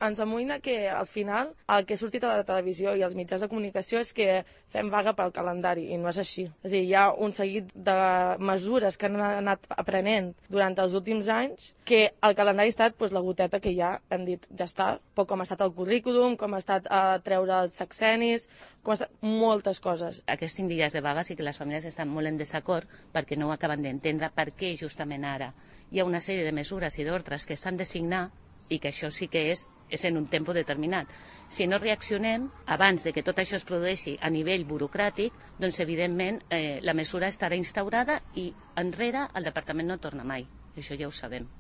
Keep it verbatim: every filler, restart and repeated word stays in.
ens amoïna que al final el que ha sortit a la televisió i als mitjans de comunicació és que fem vaga pel calendari, i no és així. És a dir, hi ha un seguit de mesures que han anat aprenent durant els últims anys que el calendari ha estat doncs, la goteta que ja hem dit, ja està, però com ha estat el currículum, com ha estat a treure els sexenis, com ha estat moltes coses. Aquests cinc dies de vaga sí que les famílies estan molt en desacord perquè no ho acaben d'entendre per què justament ara hi ha una sèrie de mesures i d'ordres que s'han de signar i que això sí que és, és en un temps determinat. Si no reaccionem, abans de que tot això es produeixi a nivell burocràtic, doncs evidentment eh, la mesura estarà instaurada i enrere el departament no torna mai. Això ja ho sabem.